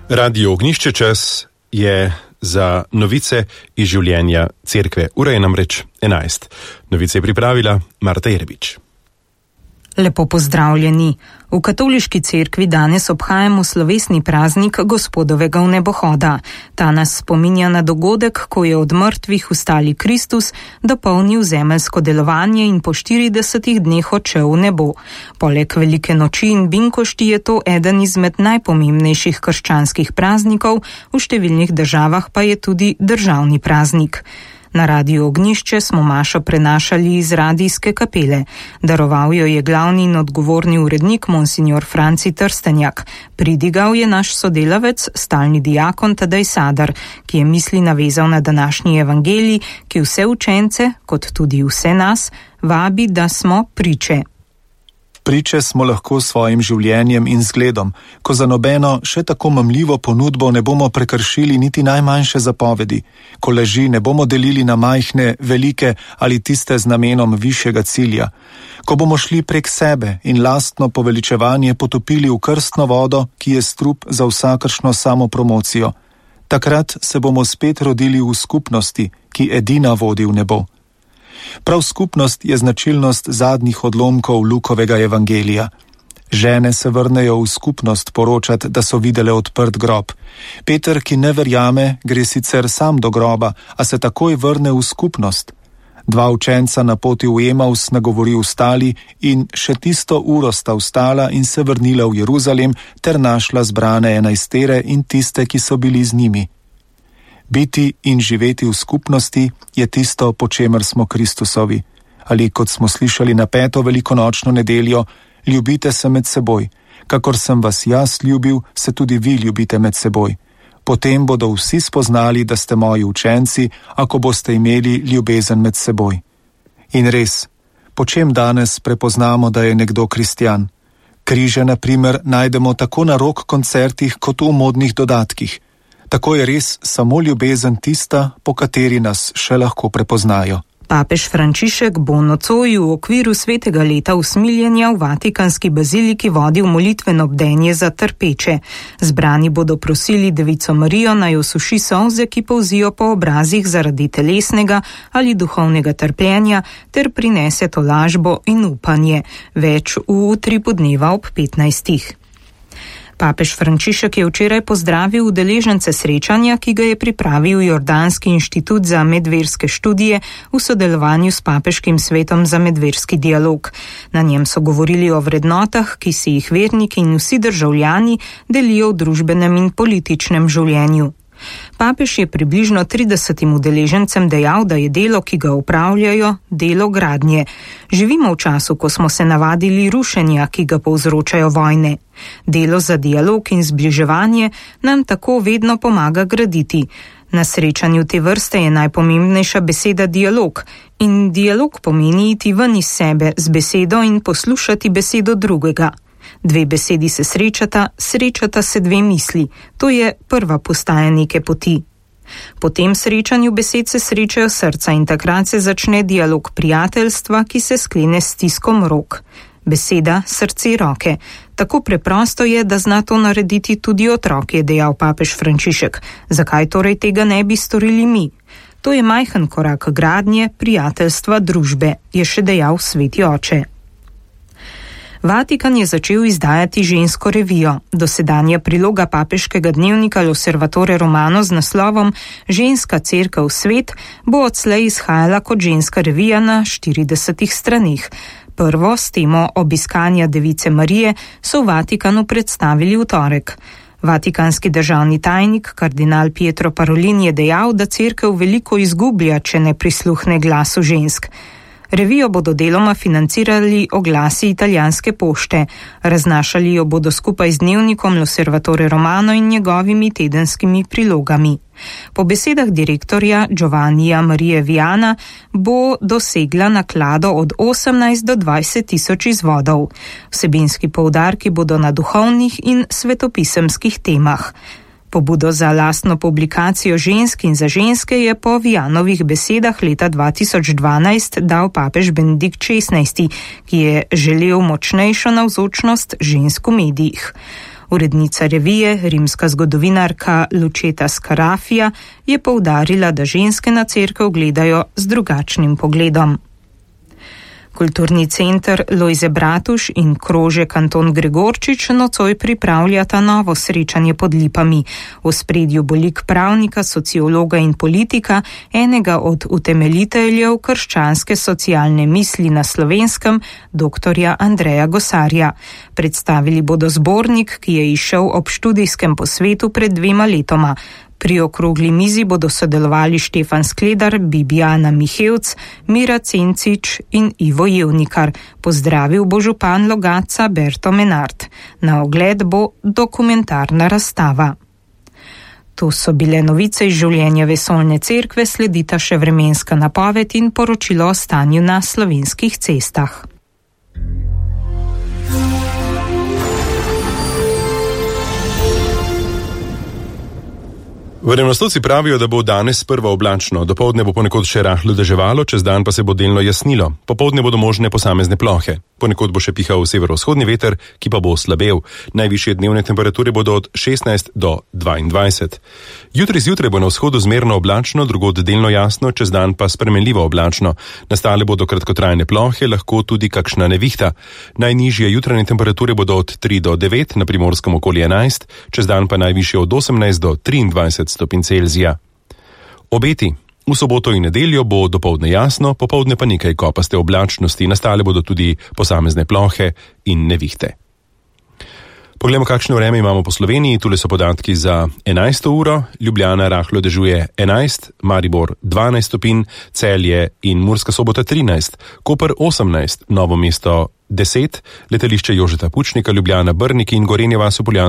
Radio Ognjišče čas je za novice iz življenja cerkve. Ura je namreč 11. Novice je pripravila Marta Jerbič. Lepo pozdravljeni. V katoliški cerkvi danes obhajamo slovesni praznik Gospodovega vnebohoda. Ta nas spominja na dogodek, ko je od mrtvih vstali Kristus, dopolnil zemeljsko delovanje in po 40 dneh odšel v nebo. Poleg velike noči in binkošti je to eden izmed najpomembnejših krščanskih praznikov, v številnih državah pa je tudi državni praznik. Na Radiu Ognjišče smo mašo prenašali iz radijske kapele. Daroval jo je glavni in odgovorni urednik monsignor Franci Trstenjak. Pridigal je naš sodelavec, stalni diakon Tadej Sadar, ki je misli navezal na današnji evangelij, ki vse učence, kot tudi vse nas, vabi, da smo priče. Priče smo lahko s svojim življenjem in zgledom, ko za nobeno še tako mamljivo ponudbo ne bomo prekršili niti najmanjše zapovedi, ko laži ne bomo delili na majhne, velike ali tiste z namenom višjega cilja, ko bomo šli prek sebe in lastno poveličevanje potopili v krstno vodo, ki je strup za vsakršno samopromocijo. Takrat se bomo spet rodili v skupnosti, ki edina vodi v nebo. Prav skupnost je značilnost zadnjih odlomkov Lukovega evangelija. Žene se vrnejo v skupnost poročat, da so videle odprt grob. Peter, ki ne verjame, gre sicer sam do groba, a se takoj vrne v skupnost. 2 učenca na poti v Emaus nagovori ostali in še tisto uro sta vstala in se vrnila v Jeruzalem ter našla zbrane 11 in tiste, ki so bili z njimi. Biti in živeti v skupnosti je tisto, po čemer smo Kristusovi. Ali kot smo slišali na 5. velikonočno nedeljo, ljubite se med seboj. Kakor sem vas jaz ljubil, se tudi vi ljubite med seboj. Potem bodo vsi spoznali, da ste moji učenci, ako boste imeli ljubezen med seboj. In res, po čem danes prepoznamo, da je nekdo kristjan? Križe, na primer, najdemo tako na rock koncertih kot v modnih dodatkih. Tako je res samo ljubezen tista, po kateri nas še lahko prepoznajo. Papež Frančišek bo nocoj v okviru svetega leta usmiljenja v Vatikanski baziliki vodil molitveno bdenje za trpeče. Zbrani bodo prosili Devico Marijo, naj osuši solze, ki polzijo po obrazih zaradi telesnega ali duhovnega trpljenja, ter prinese tolažbo in upanje. Več v utripu dneva ob 15. Papež Frančišek je včeraj pozdravil udeležence srečanja, ki ga je pripravil Jordanski inštitut za medverske študije v sodelovanju s Papeškim svetom za medverski dialog. Na njem so govorili o vrednotah, ki si jih verniki in vsi državljani delijo v družbenem in političnem življenju. Papež je približno 30 udeležencem dejal, da je delo, ki ga upravljajo, delo gradnje. Živimo v času, ko smo se navadili rušenja, ki ga povzročajo vojne. Delo za dialog in zbliževanje nam tako vedno pomaga graditi. Na srečanju te vrste je najpomembnejša beseda dialog. In dialog pomeni iti ven iz sebe z besedo in poslušati besedo drugega. 2 besedi se srečata se 2 misli. To je prva postaja neke poti. Po tem srečanju besed se srečajo srca in takrat se začne dialog prijateljstva, ki se sklene s stiskom rok. Beseda, srce, roke. Tako preprosto je, da zna to narediti tudi otrok, je dejal papež Frančišek. Zakaj torej tega ne bi storili mi? To je majhen korak gradnje, prijateljstva, družbe, je še dejal sveti oče. Vatikan je začel izdajati žensko revijo. Dosedanja priloga papeškega dnevnika L'Osservatore Romano z naslovom Ženska cerkev svet bo odslej izhajala kot ženska revija na 40 straneh. Prvo s temo obiskanja Device Marije so v Vatikanu predstavili v torek. Vatikanski državni tajnik, kardinal Pietro Parolin, je dejal, da cerkev veliko izgublja, če ne prisluhne glasu žensk. Revijo bodo deloma financirali oglasi italijanske pošte. Raznašali jo bodo skupaj z dnevnikom L'Osservatore Romano in njegovimi tedenskimi prilogami. Po besedah direktorja Giovannija Marije Viana bo dosegla naklado od 18 do 20 tisoč izvodov. Vsebinski poudarki bodo na duhovnih in svetopisemskih temah. Pobudo za lastno publikacijo žensk in za ženske je po Vianovih besedah leta 2012 dal papež Benedikt XVI, ki je želel močnejšo navzočnost žensk v medijih. Urednica revije, rimska zgodovinarka Lučeta Scarafia, je poudarila, da ženske na cerkev gledajo z drugačnim pogledom. Kulturni center Lojze Bratuš in krožek Anton Gregorčič nocoj pripravljata novo srečanje pod Lipami. V ospredju bo lik pravnika, sociologa in politika, enega od utemeljiteljev krščanske socialne misli na Slovenskem, doktorja Andreja Gosarja. Predstavili bodo zbornik, ki je izšel ob študijskem posvetu pred 2 letoma. Pri okrogli mizi bodo sodelovali Štefan Skledar, Bibiana Mihevc, Mira Cencič in Ivo Jevnikar. Pozdravil bo župan Logatca Berto Menard. Na ogled bo dokumentarna razstava. To so bile novice iz življenja vesoljne cerkve, sledita še vremenska napoved in poročilo o stanju na slovenskih cestah. Vremenoslovci pravijo, da bo danes sprva oblačno, dopoldne bo ponekod še rahlo deževalo, čez dan pa se bo delno jasnilo. Popoldne bodo možne posamezne plohe. Ponekod bo še pihal severovzhodni veter, ki pa bo slabel. Najvišje dnevne temperature bodo od 16 do 22. Jutri zjutraj bo na vzhodu zmerno oblačno, drugod delno jasno, čez dan pa spremenljivo oblačno. Nastale bodo kratkotrajne plohe, lahko tudi kakšna nevihta. Najnižje jutranje temperature bodo od 3 do 9, na Primorskem okoli 11, čez dan pa najvišje od 18 do 23 stopinj Celzija. Obeti. V soboto in nedeljo bo dopoldne jasno, popoldne pa nekaj kopaste oblačnosti, nastale bodo tudi posamezne plohe in nevihte. Poglejmo, kakšno vreme imamo po Sloveniji. Tule so podatki za 11. uro. Ljubljana rahlo dežuje 11, Maribor 12 stopinj, Celje in Murska Sobota 13, Koper 18, Novo mesto 10, letališče Jožeta Pučnika, Ljubljana, Brnik in Gorenje vas v Poljanskem